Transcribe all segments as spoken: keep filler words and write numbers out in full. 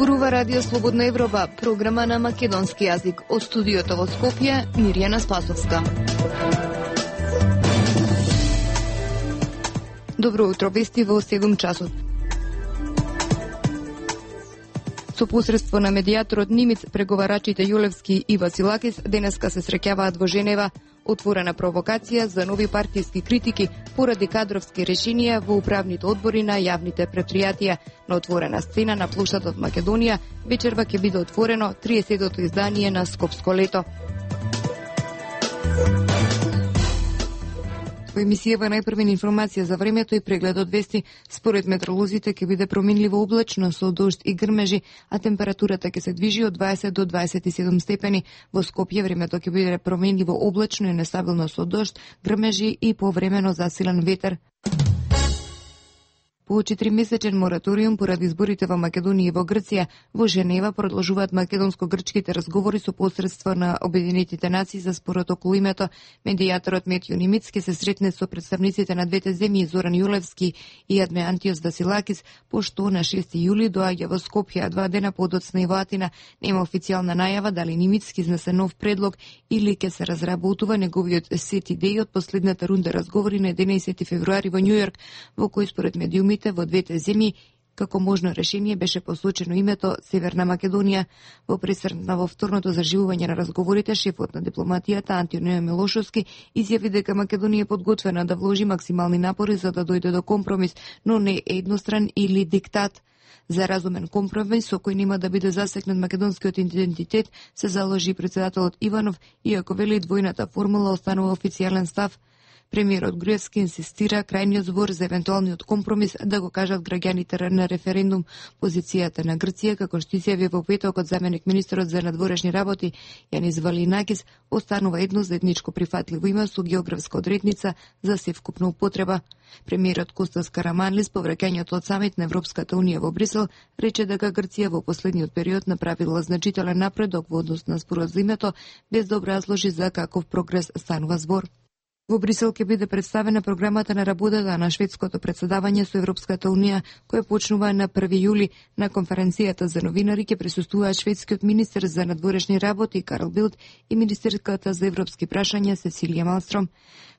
Зборува Радио Слободна Европа, програма на македонски јазик. Од студиото во Скопје, Мирјана Спасовска. Добро утро, вести во седум часот. Со посредство на медијаторот Нимиц, преговарачите Јулевски и Василакис денеска се среќаваат во Женева. Отворена провокација за нови партиски критики поради кадровски решенија во управните одбори на јавните предпријатија. На отворена сцена на плошадот Македонија вечерва ќе биде отворено триесеттото издание на Скопско лето. Во емисијава најпрвена информација за времето и преглед од вести. Според метеоролозите ќе биде променливо облачно со дожд и грмежи, а температурата ќе се движи од дваесет до дваесет и седум степени. Во Скопје времето ќе биде променливо облачно и нестабилно со дожд, грмежи и повремено засилен ветер. По четиримесечен мораториум поради изборите во Македонија и во Грција, во Женева продолжуваат македонско-грчките разговори со посредство на Обединетите нации за спорот околу името. Медијаторот Метјо Нимиц ќе се сретне со представниците на двете земји Зоран Јулевски и Адме Антиос Василакис, пошто на шести јули доаѓа во Скопје, а два дена подоцна и во Атина. Нема официјална најава дали Нимиц ќе изнесе нов предлог или ќе се разработува неговиот сет идеи од последната рунда разговори на единаесети февруари во Њујорк, во кој според медиумите во двете земји како можно решение беше посочено името Северна Македонија. Во пресрна во вторното заживување на разговорите, шефот на дипломатијата Антонио Милошовски изјави дека Македонија е подготвена да вложи максимални напори за да дојде до компромис, но не едностран или диктат. За разумен компромис со кој нема да биде засекнат македонскиот идентитет се заложи председателот Иванов, иако вели двојната формула останува официјален став. Премиерот Груевски инсистира крајниот збор за евентуалниот компромис да го кажат граѓаните на референдум. Позицијата на Грција, како што изјави во петокот заменик министерот за надворешни работи Јанис Валинакис, останува едно заедничко прифатливо име со географска одредница за севкупна употреба. Премиерот Костас Караманлис по враќањето од самит на Европската унија во Брисел рече дека Грција во последниот период направила значителен напредок во однос на спорот за името, без да образложи за каков прогрес станува збор. Во Брисел ќе биде представена програмата на работата на шведското председавање со Европската унија, која почнува на први јули. На конференцијата за новинари ќе присуствуваат шведскиот министер за надворешни работи Карл Билд и министерката за европски прашања Сесилија Малстром.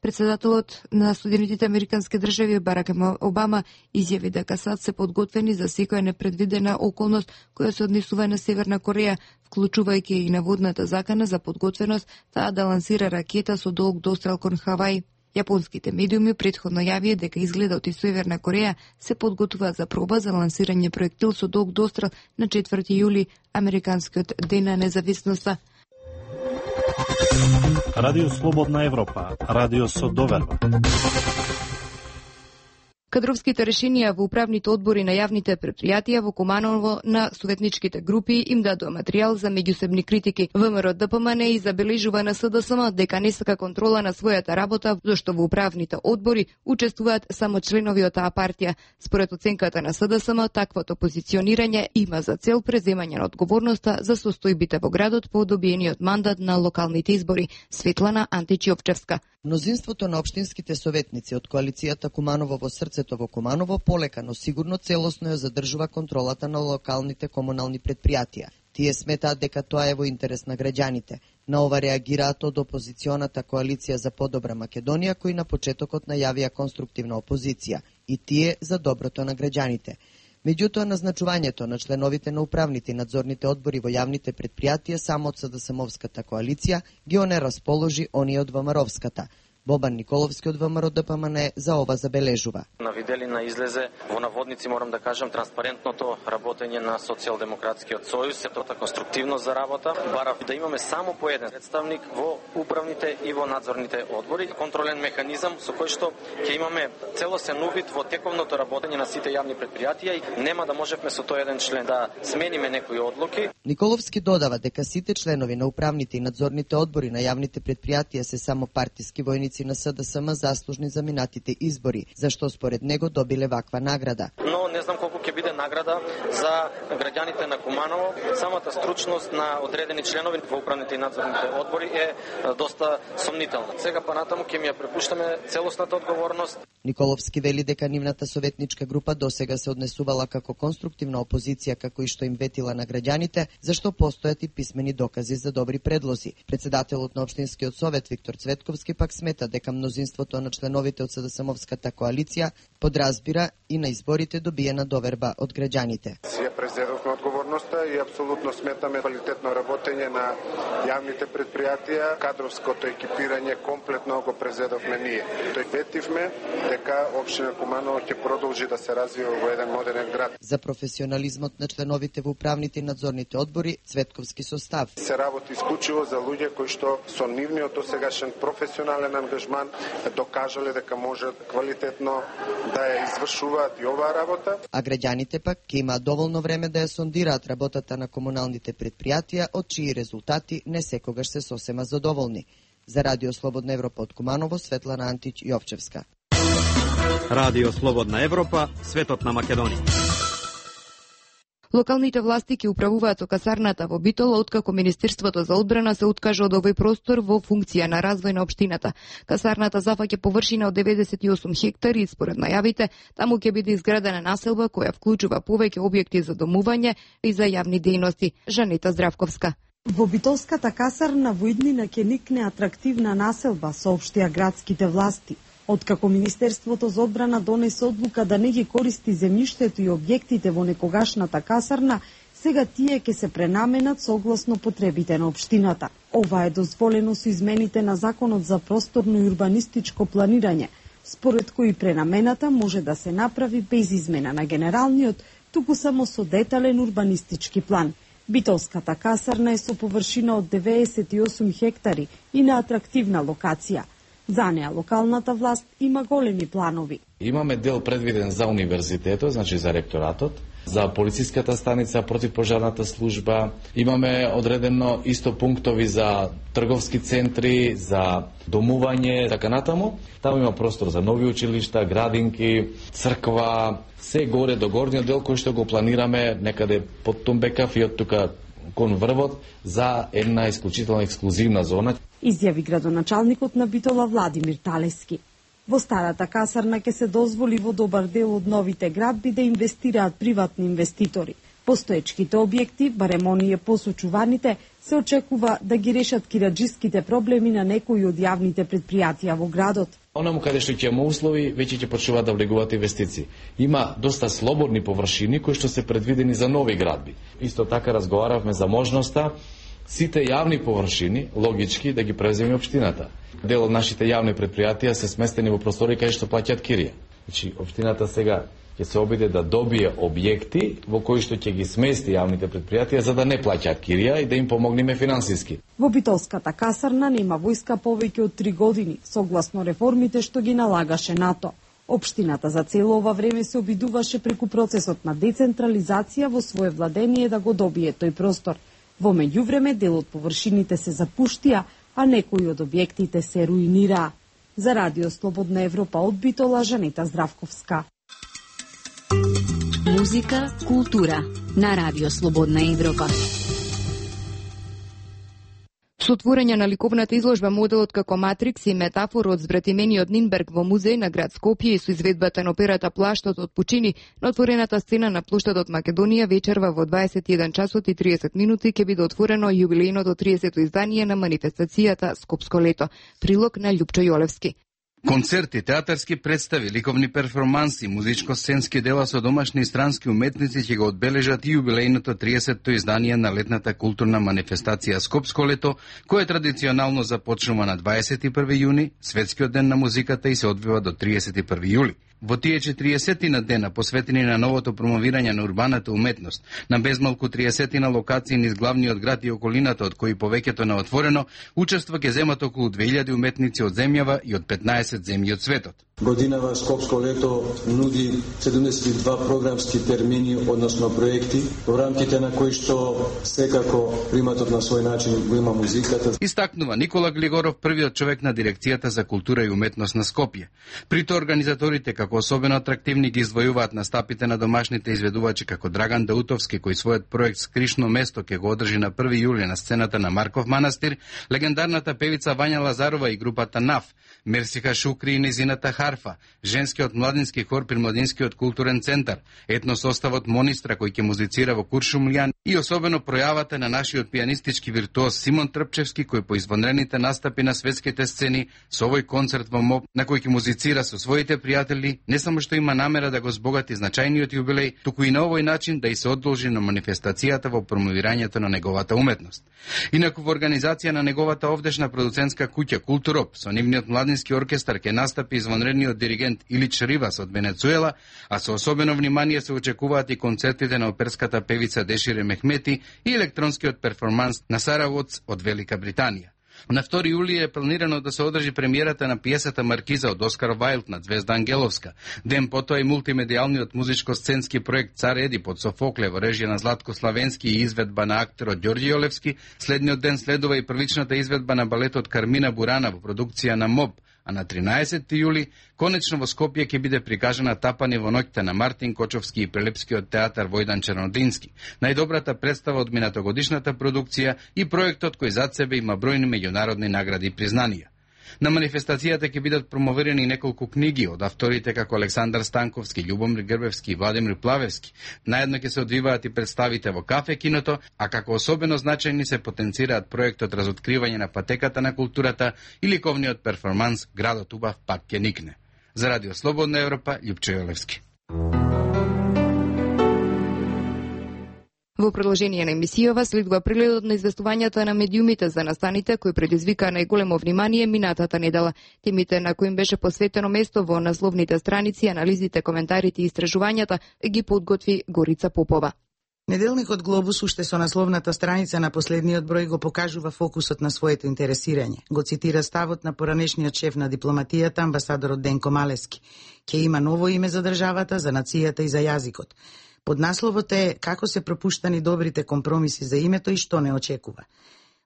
Председателот на Соединетите американски држави Барак Обама изјави дека САД се подготвени за секоја непредвидена околност која се однесува на Северна Кореја, вклучувајќи и наводната закана за подготвеност таа да лансира ракета со долг дострел кон Хавај. Јапонските медиуми претходно јавија дека изгледот и Северна Кореја се подготвуваат за проба за лансирање проектил со долг дострел на четврти јули, американскиот ден на независноста. Радио Слободна Европа, радио со доверба. Кадровските решенија во управните одбори на јавните предпријатија во Куманово на советничките групи им дадоа материјал за меѓусебни критики. ВМРО Д П М Н и забележува на С Д С М дека не сака контрола на својата работа, зашто во управните одбори учествуваат само членови од таа партија. Според оценката на С Д С М, таквото позиционирање има за цел преземање на одговорноста за состојбите во градот по добиениот мандат на локалните избори. Светлана Античиовчевска. Мнозинството на општинските советници од коалицијата Куманово во срцето во Куманово полека, но сигурно целосно ја задржува контролата на локалните комунални предпријатија. Тие сметаат дека тоа е во интерес на граѓаните. На ова реагираат од опозиционата коалиција за подобра Македонија, кои на почетокот најавија конструктивна опозиција, и тие за доброто на граѓаните. Меѓутоа, назначувањето на членовите на управните и надзорните одбори во јавните предпријатија само од С Д С М-овската коалиција ги оне расположи оние од Вэ М Р-овската. Бобан Николовски од Вэ М Р Д П М Н за ова забележува. На виделина излезе во наводници, морам да кажам, транспарентното работење на Социјалдемократскиот сојуз, ето конструктивно за работа. Барав да имаме само по еден представник во управните и во надзорните одбори, контролен механизам со кој што ќе имаме целосен увид во тековното работење на сите јавни предпријатија и нема да можевме со тој еден член да смениме некои одлуки. Николовски додава дека сите членови на управните и надзорните одбори на јавните предпријатија се само партиски војници на С Д С М заслужни за минатите избори, зашто според него добиле ваква награда. Но не знам колку ќе биде награда за граѓаните на Куманово. Самата стручност на одредени членови во управните и надзорните одбори е доста сомнителна. Сега па натаму ќе ми ја препуштаме целосната одговорност. Николовски вели дека нивната советничка група досега се однесувала како конструктивна опозиција, како и што им ветила на граѓаните, зашто постојат и писмени докази за добри предлози. Председателот на Општинскиот совет Виктор Цветковски пак смета дека мнозинството на членовите од СДСМовската коалиција подразбира и на изборите добиена доверба од граѓаните. Ја презедовме одговорноста и апсолутно сметаме квалитетно работење на јавните предпријатија, кадровското екипирање комплетно го презедовме ние. Тој ветивме дека општина Куманово ќе продолжи да се развива во еден модерен град. За професионализмот на членовите во управните и надзорните одбори Цветковски состав. Се работи исклучиво за луѓе кои што со нивниот досегашен професионален ангажман докажале дека можат квалитетно да ја извршуваат и оваа работа. А граѓаните пак ќе имаат доволно време да ја сондираат работата на комуналните предпријатија, од чии резултати не секогаш се сосема задоволни. За Радио Слободна Европа од Куманово, Светлана Антич Јовчевска. Радио Слободна Европа, светот на Македонија. Локалните власти ќе управуваат со касарната во Битола, откако Министерството за одбрана се откажа од овој простор во функција на развој на општината. Касарната зафаќа површина од деветдесет и осум хектари и според најавите, таму ќе биде изградена населба која вклучува повеќе објекти за домување и за јавни дејности. Жанета Здравковска. Во Битолската касарна во иднина ќе никне атрактивна населба, соопштија градските власти. Откако Министерството за одбрана донесе одлука да не ги користи земјиштето и објектите во некогашната касарна, сега тие ќе се пренаменат согласно потребите на општината. Ова е дозволено со измените на Законот за просторно и урбанистичко планирање, според кои пренамената може да се направи без измена на генералниот, туку само со детален урбанистички план. Битолската касарна е со површина од деветдесет и осум хектари и на атрактивна локација. За неа локалната власт има големи планови. Имаме дел предвиден за универзитетот, значи за ректоратот, за полициската станица, противпожарната служба. Имаме одредено исто пунктови за трговски центри, за домување, така натаму. Таму има простор за нови училишта, градинки, црква, се горе до горниот дел кој што го планираме некаде под Тумбекав и од тука кон врвот за една исклучителна ексклузивна зона. Изјави градоначалникот на Битола Владимир Талески. Во старата касарна ќе се дозволи во добар дел од новите градби да инвестираат приватни инвеститори. Постоечките објекти, барем оние посочуваните, се очекува да ги решат кираџиските проблеми на некои од јавните предпријатија во градот. Онаму каде што ќе има услови, веќе ќе почнуваат да влегуваат инвестиции. Има доста слободни површини кои што се предвидени за нови градби. Исто така разговаравме за можноста сите јавни површини, логички, да ги преземе општината. Дел од нашите јавни предпријатија се сместени во простори каде што плаќаат кирија. Значи, општината сега ќе се обиде да добие објекти во кои што ќе ги смести јавните предпријатија за да не плаќаат кирија и да им помогнеме финансиски. Во Битолската касарна нема војска повеќе од три години, согласно реформите што ги налагаше НАТО. Општината за цело ова време се обидуваше преку процесот на децентрализација во свое владение да го добие тој простор. Во меѓувреме дел од површините се запуштија, а некои од објектите се руинираа. За Радио Слободна Европа од Битола, Жанета Здравковска. Музика, култура на Радио Слободна Европа. Со отворање на ликовната изложба моделот како Матрикс и метафора од збратимениот Нинберг во музеј на град Скопје и со изведбата на операта Плаштот од Пучини на отворената сцена на плоштадот Македонија вечерва во дваесет и еден часот и триесет минути ќе биде отворено јубилејното тридесето издание на манифестацијата Скопско лето. Прилог на Љупчо Јолевски. Концерти, театарски представи, ликовни перформанси, музичко-сценски дела со домашни и странски уметници ќе го одбележат и јубилејното тридесето издание на летната културна манифестација Скопско лето, која традиционално започнува на дваесет и први јуни, светскиот ден на музиката, и се одвива до тридесет и први јули. Во тие четириесетина дена посветени на новото промовирање на урбаната уметност, на безмалку триесетина локации низ главниот град и околината, од кои повеќето на отворено, учество ќе земат околу две илјади уметници од земјава и од петнаесет земји од светот. Годинава Скопско лето нуди седумдесет и два програмски термини, односно проекти, во рамките на кои што секако приматот на свој начин го има музиката. Истакнува Никола Глигоров, првиот човек на дирекцијата за култура и уметност на Скопје. При тоа организаторите како особено атрактивни ги издвојуваат настапите на домашните изведувачи како Драган Даутовски, кој својот проект Скришно место ќе го одржи на први јули на сцената на Марков манастир, легендарната певица Вања Лазарова и групата НАФ, Мерсиха Шукри и незината Хар Арфа, женскиот младински хор при Младинскиот културен центар, етносоставот Монистра кој ќе музицира во Куршумлијан и особено пројавата на нашиот пианистички виртуоз Симон Трпчевски кој по извонредните настапи на светските сцени со овој концерт во МОБ на кој ќе музицира со своите пријатели, не само што има намера да го збогати значајниот јубилеј, туку и на овој начин да и се одолжи на манифестацијата во промовирањето на неговата уметност. Инаку во организација на неговата овдешна продуцентска куќа Културоп со нивниот младински оркестар ќе настапи извонредниот диригент Илич Ривас од Венецуела, а со особено внимание се очекуваат и концертите на оперската певица Дешире Мехмети и електронскиот перформанс на Сара Уотс од Велика Британија. На втори јули е планирано да се одржи премиерата на пиесата Маркиза од Оскар Вајлд на Звезда Ангеловска. Ден потоа и мултимедијалниот музичко-сценски проект Цар Едип од Софокле во режија на Златко Славенски и изведба на актерот Ѓорѓи Олевски. Следниот ден следува и првичната изведба на балетот Кармина Бурана во продукција на МОБ, а на тринаесетти јули конечно во Скопје ќе биде прикажана Тапани во ноќта на Мартин Кочовски и Прелепскиот театар Војдан Чернодински. Најдобрата представа од минатогодишната продукција и проектот кој зад себе има бројни меѓународни награди и признанија. На манифестацијата ќе бидат промовирани неколку книги од авторите како Александар Станковски, Љубомир Грбевски и Владимир Плавевски. Наедно ќе се одвиваат и представите во кафе киното, а како особено значајни се потенцираат проектот Разоткривање на патеката на културата и ликовниот перформанс Градот убав пак ќе никне. За Радио Слободна Европа, Љупчо Јолевски. Во продолжение на емисијава следува прегледот на известувањата на медиумите за настаните кои предизвика најголемо внимание минатата недела. Темите на кои им беше посветено место во насловните страници, анализите, коментарите и истражувањата ги подготви Горица Попова. Неделникот Глобус уште со насловната страница на последниот број го покажува фокусот на своето интересирање. Го цитира ставот на поранешниот шеф на дипломатијата, амбасадорот Денко Малески. Ке има ново име за државата, за нацијата и за јазикот. Поднасловот е како се пропуштани добрите компромиси за името и што не очекува.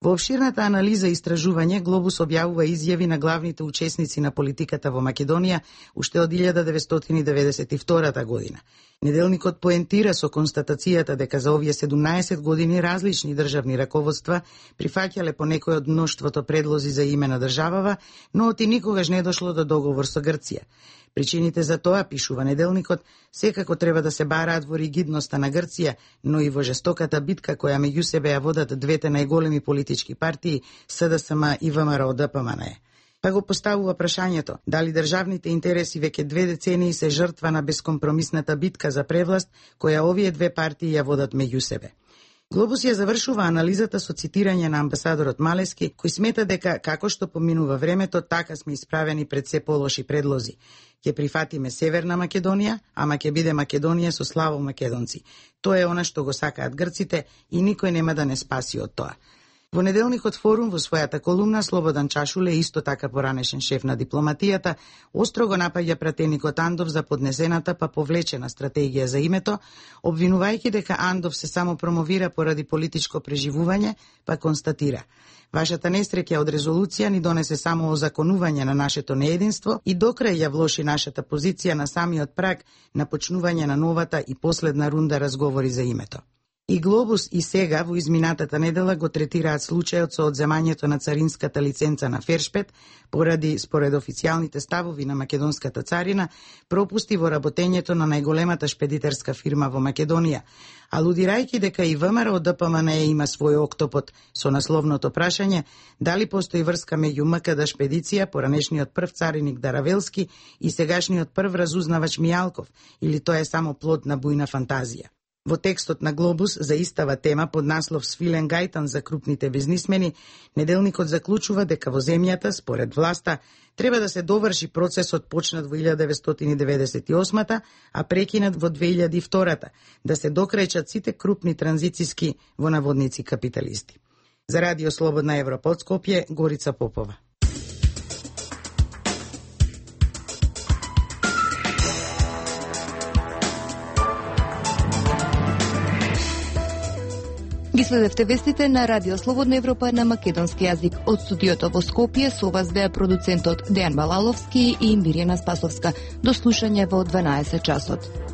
Во обширната анализа и истражување, Глобус објавува изјави на главните учесници на политиката во Македонија уште од илјада деветстотини деветдесет и втора година. Неделникот поентира со констатацијата дека за овие седумнаесет години различни државни раководства прифаќале по некој од мноштвото предлози за име на државава, но оти никогаш не дошло до договор со Грција. Причините за тоа, пишува Неделникот, секако треба да се бараат во ригидноста на Грција, но и во жестоката битка која меѓу себе ја водат двете најголеми политички партии, С Д С М и В М Р О Д П М Н Е. Па го поставува прашањето, дали државните интереси веќе две децении се жртва на бескомпромисната битка за превласт, која овие две партии ја водат меѓу себе. Глобус ја завршува анализата со цитирање на амбасадорот Малески, кој смета дека како што поминува времето, така сме исправени пред се полоши предлози. Ќе прифатиме Северна Македонија, ама ќе биде Македонија со славо македонци. Тоа е она што го сакаат грците и никој нема да не спаси од тоа. Во Неделникот Форум во својата колумна Слободан Чашуле, исто така поранешен шеф на дипломатијата, остро го напаѓа пратеникот Андов за поднесената па повлечена стратегија за името, обвинувајќи дека Андов се само промовира поради политичко преживување, па констатира: вашата несреќа од резолуција ни донесе само озаконување на нашето неединство и докрај ја влоши нашата позиција на самиот праг на почнување на новата и последна рунда разговори за името. И Глобус и сега во изминатата недела го третираат случајот со одземањето на царинската лиценца на Фершпет поради, според официјалните ставови на македонската царина, пропусти во работењето на најголемата шпедитерска фирма во Македонија, алудирајќи дека и В М Р О Д П М Н Е има свој октопод со насловното прашање дали постои врска меѓу М К Д шпедиција, поранешниот прв цариник Даравелски и сегашниот прв разузнавач Мијалков, или тоа е само плод на бујна фантазија. Во текстот на Глобус за истава тема под наслов Свилен Гајтан за крупните бизнисмени, Неделникот заклучува дека во земјата, според власта, треба да се доврши процесот почнат во илјада деветстотини деветдесет и осма, а прекинат во две илјади и втора, да се докречат сите крупни транзициски во наводници капиталисти. За Радио Слободна Европа од Скопје, Горица Попова. Ги следевте вестите на Радио Слободна Европа на македонски јазик. Од студиото во Скопје со вас беа продуцентот Дејан Балаловски и Мирјана Спасовска. До слушање во дванаесет часот.